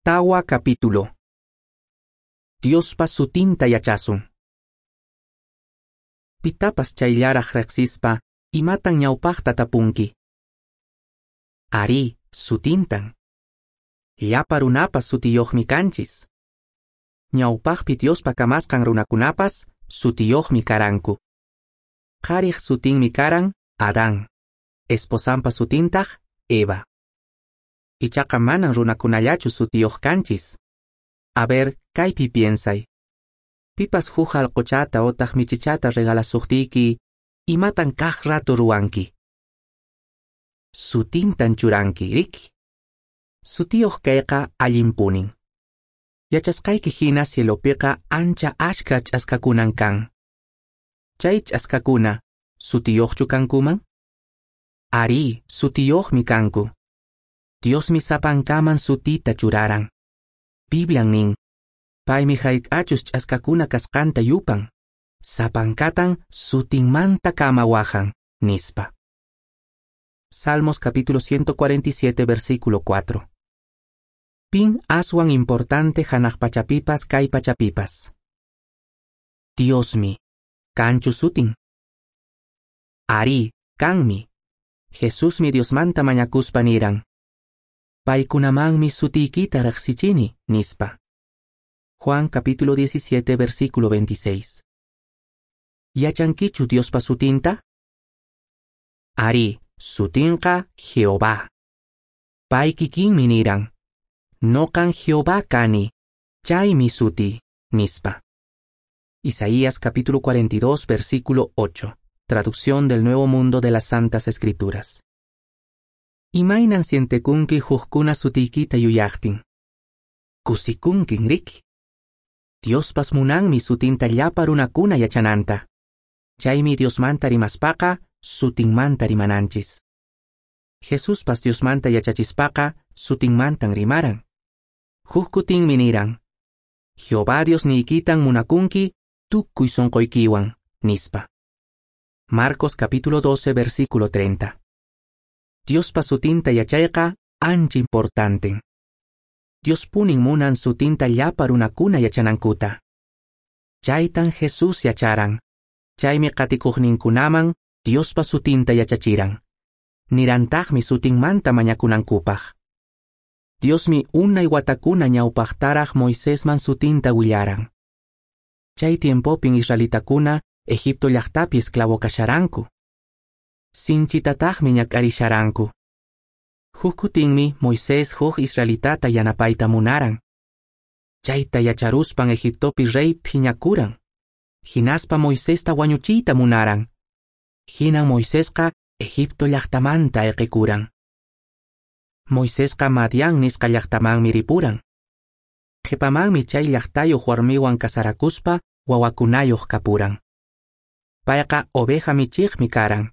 Tawa capítulo. Diospa sutinta yachasun. Pitapas chayllaraq riqsispa, imatan ñawpaqta tapunki? Arí, sutintan. Llapa runapas sutiyuqmi kanchis. Ñawpaqpi Diospa kamasqan runakunapas sutiyuqmi karanku. Qhariq sutinmi karan Adán, esposanpa sutintaq Eva. Ichaqa manan runakunallachu sutiyuq kanchis. A ver, kaypi piensay. Pipas huk allquchata otaq michichata regalasuqtiyki, imatan kaq rato ruwanki? Sutintan churanki, riki? Sutiyuq kayqa allinpunin. Yachasqayki hina cielopiqa ancha ashka ch'askakunan kan. Chay ch'askakuna, sutiyuqchu kankuman? Arí, sutiyuqmi kanku. Diosmi sapankaman sutita churaran. Biblian nin, paymi hayk'achus ch'askakuna kasqanta yupan, sapankatan sutinmanta kama wahan, nispa. Salmos capítulo 147, versículo 4. Pin aswan importante hanaq pachapipas kay pachapipas. Diosmi, kanchu sutin. Arí, kanmi. Jesusmi Diosmanta mañakuspa niran. Paykunamanmi sutiykita riqsichini, nispa. Juan capítulo 17, versículo 26. Yachankichu Diospa sutinta? Arí, sutinqa Jehová. Pay kikinmi niran. Noqan Jehová kani, chaymi suti, nispa. Isaías capítulo 42, versículo 8. Traducción del Nuevo Mundo de las Santas Escrituras. Imaynan sientekunki hukkuna sutiykita yuyaqtin? Kusikunkin, riki? Diospas munanmi sutinta llapa runakuna yachananta. Chaymi Diosmanta rimaspaqa sutinmanta rimananchis. Jesuspas Diosmanta yachachispaqa sutinmantan rimaran. Huk kutinmi niran. Jehová Diosniykitan munakunki tukuy sunquykiwan, nispa. Marcos capítulo 12, versículo 30. Diospa sutinta yachayqa ancha importanten. Diospunin munan sutinta llapa runakuna yachanankuta. Chaytan Jesús yacharan. Chaymi qatikuqninkunaman Diospa sutinta yachachiran. Nirantaqmi sutinmanta mañakunankupaq. Diosmi unay watakuna ñawpaqtaraq Moisesman sutinta willaran. Chay tiempopin israelitakuna Egipto llaqtapi esclavo kasharanku. Sinchitataqmi ñak'arisharanku. Huk kutinmi Moisés huk israelitata yanapayta munaran. Chayta yacharuspan Egiptopi rey phiñakuran. Hinaspa Moisesta wañuchiyta munaran. Hinan Moisesqa Egipto llaqtamanta ayqikuran. Moisesqa Madián nisqa llaqtamanmi ripuran. Qhipamanmi chay llaqtayuq warmiwan kasarakuspa wawakunayuq kapuran. Payqa oveja michiqmi karan.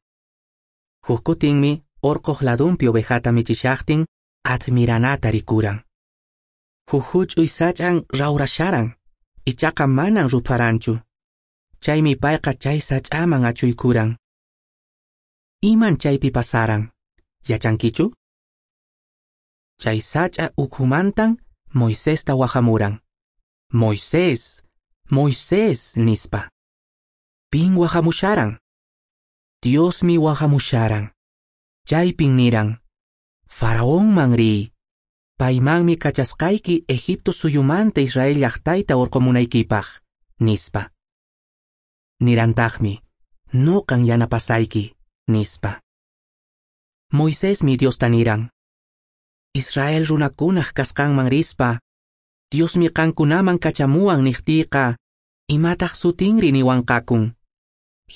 Huk kutinmi orqoq ladunpi ovejata michishaqtin admiranata rikuran. Huk huch'uy sach'an rawrasharan, ichaqa manan rupharanchu. Chaymi payqa chay sach'aman achuykuran. Iman chaypi pasaran? Yachankichu? Chay sach'a ukhumantan Moisesta wahamuran. Moisés, Moisés, nispa. Pin wahamusharan? Diosmi wahamusharan. Chaypin niran. Faraonman riy. Paymanmi kachasqayki Egipto suyumanta Israel llaqtayta urqumunaykipaq, nispa. Nirantaqmi, nuqan yanapasayki, nispa. Moisesmi Diosta niran. Israel runakunaq kasqanman rispa, Diosmi qankunaman kachamuwan niqtiyqa, imataq sutinri niwanqakun.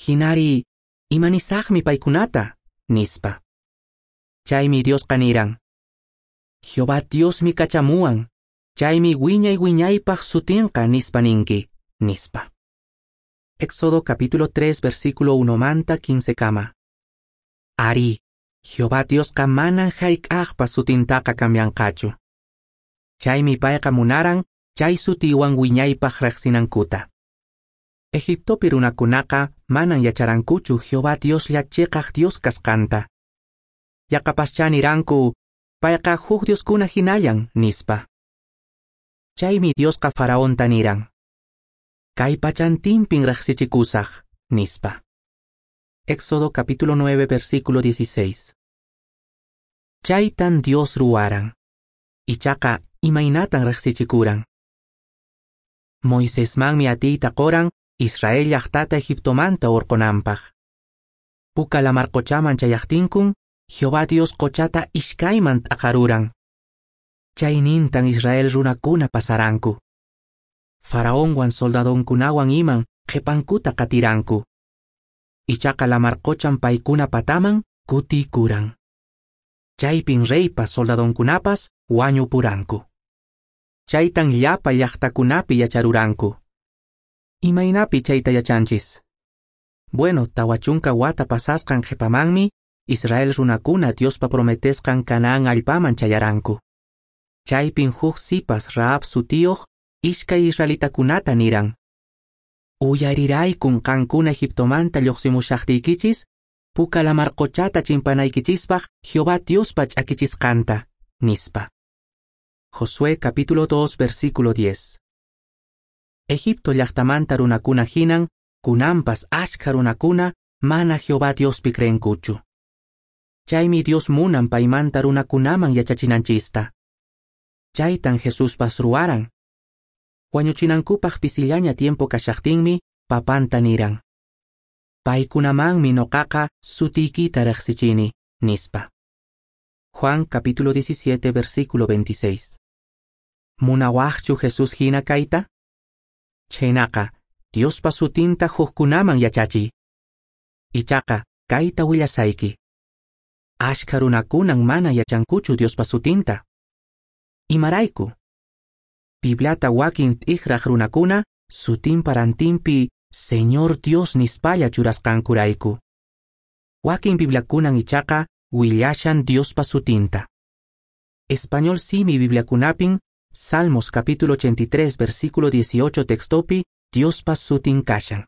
Hinari, imanisaqmi paykunata, nispa. Chaymi Diosqa niran. Jehová Diosmi kachamuwan, chaymi wiñay wiñaypaq sutinqa nispa ninki, nispa. Éxodo capítulo 3, versículo 1 manta 15 kama. Arí, Jehová Diosqa manan hayk'aqpas sutintaqa cambianqachu. Chaymi payqa munaran chay sutiwan wiñaypaq riqsinankuta. Egiptopi runakunaqa manan yacharankuchu Jehová Dioslla chiqaq Dios kasqanta. Yaqapaschá niranku, payqa huk dioskuna hinallan, nispa. Chaymi Diosqa Faraonta niran: Kay pachantinpin riqsichikusaq, nispa. Éxodo capítulo 9 versículo 16. Chaytan Dios ruwaran. Ichaqa imaynatan riqsichikuran. Moisesmanmi atiyta qoran Israel llaqtata Egiptomanta hurqunanpaq. Puka lamar qochaman chayaqtinkun, Jehová Dios qochata ishkayman t'aqaruran. Chaynintan Israel runakuna pasaranku. Faraonwan soldadonkunawan iman qhipankuta qatiranku. Ichaqa lamar qochan paykuna pataman kutikuran. Chaypin reypas soldadonkunapas wañupuranku. Chaytan llapa llaqtakunapi yacharuranku. Imaynapi chayta yachanchis? Bueno, 40 wata pasasqan qhipamanmi Israel runakuna Diospa prometesqan Canaán allpaman chayaranku. Chaypin huk sipas Rahab sutiyuq ishkay israelitakunata niran: Uyariraykun qankuna Egiptomanta lluqsimushaqtiykichis, Puka lamar qochata chimpanaykichispaq Jehová Diospa ch'akichisqanta, nispa. Josué capítulo 2 versículo 10. Egipto llaqtamanta runakuna hinan, kunanpas ashkha runakuna mana Jehová Diospi creenkuchu. Chaymi Dios munan paymanta runakunaman yachachinanchista. Chaytan Jesuspas ruwaran. Wañuchinankupaq pisillaña tiempo kashaqtinmi papanta niran: Paykunamanmi noqaqa sutiykita riqsichini, nispa. Juan capítulo 17 versículo 26. Munawaqchu Jesús hina kayta? Chhaynaqa, Diospa sutinta hukkunaman yachachiy. Ichaqa, kayta willasayki. Ashkha runakunan mana yachankuchu Diospa sutinta. Imarayku? Bibliata wakin t'ikraq runakuna sutinpa rantinpi Señor Dios nispalla churasqankurayku. Wakin Bibliakunan ichaqa willashan Diospa sutinta. Español simi Bibliakunapin Salmos capítulo 83 versículo 18 textopi Diospa sutin kashan.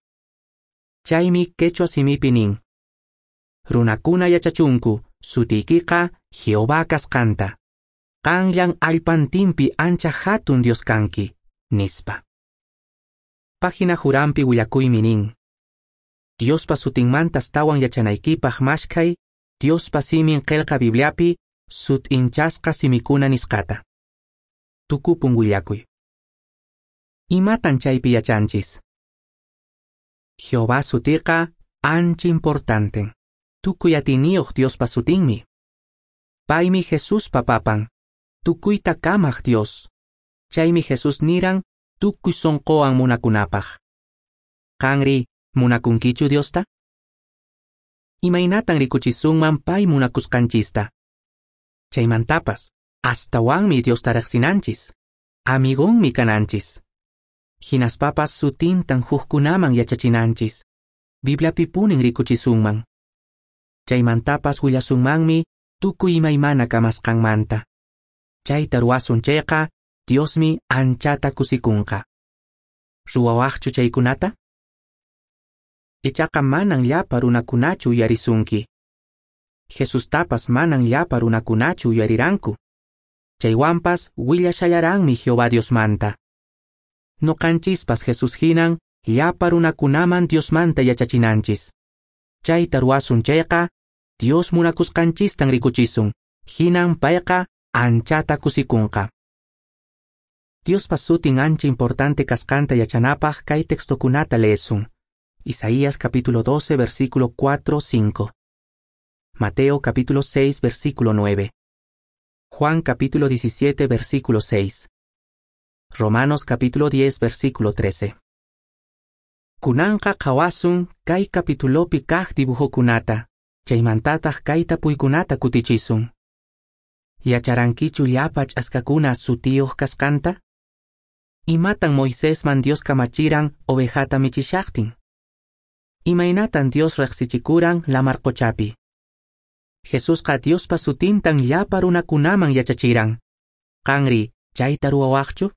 Chaymi quechua simipi nin: Runakuna yachachunku sutiykiqa Jehová kasqanta. Qanllan allpantinpi ancha hatun Dios kanki, nispa. Página Jurampi willakuymi nin: Diospa sutinmanta astawan yachanaykipaq mashkhay Diospa simin qillqa Bibliapi sut'inchasqa simikuna nisqata. Tukupun willakuy. Imatan chaypi yachanchis? Jehová sutiqa ancha importanten. Tukuy atiyniyuq Diospa sutinmi. Paymi Jesuspa papan, tukuyta kamaq Dios. Chaymi Jesús niran tukuy sonqowan munakunapaq. Qanri, munakunkichu Diosta? Imaynatan rikuchisunman pay munakusqanchista? Chaymantapas, astawanmi Diosta riqsinanchis. Amigonmi kananchis. Hinaspapas sutintan hukkunaman yachachinanchis. Bibliapipunin rikuchisunman. Chaymantapas willasunmanmi tukuy imaymana kamasqanmanta. Chayta ruwasun chayqa, Diosmi anchata kusikunqa. Ruwawaqchu chaykunata? Ichaqa manan llapa runakunachu uyarisunki. Jesustapas manan llapa runakunachu uyariranku. Chaywanpas willashallaranmi Jehová Diosmanta. Noqanchispas Jesús hinan llapa runakunaman Diosmanta yachachinanchis. Chayta ruwasun chayqa, Dios munakusqanchistan rikuchisun. Hinan payqa anchata kusikunqa. Diospa sutin ancha importante kasqanta yachanapaq kay textokunata leesun. Isaías capítulo 12 versículo 4-5. Mateo capítulo 6 versículo 9. Juan capítulo 17 versículo 6. Romanos capítulo 10 versículo 13. Kunanqa qhawasun kay capitulopi kaq dibujokunata, chaymantataq kay tapuykunata kutichisun. Yacharankichu llapa ch'askakuna sutiyuq kasqanta? Imatan Moisesman Dios kamachiran ovejata michishaqtin? Imaynatan Dios riqsichikuran lamar qochapi? Jesusqa Diospa sutintan llapa runakunaman yachachiran. Qanri, chayta ruwawaqchu?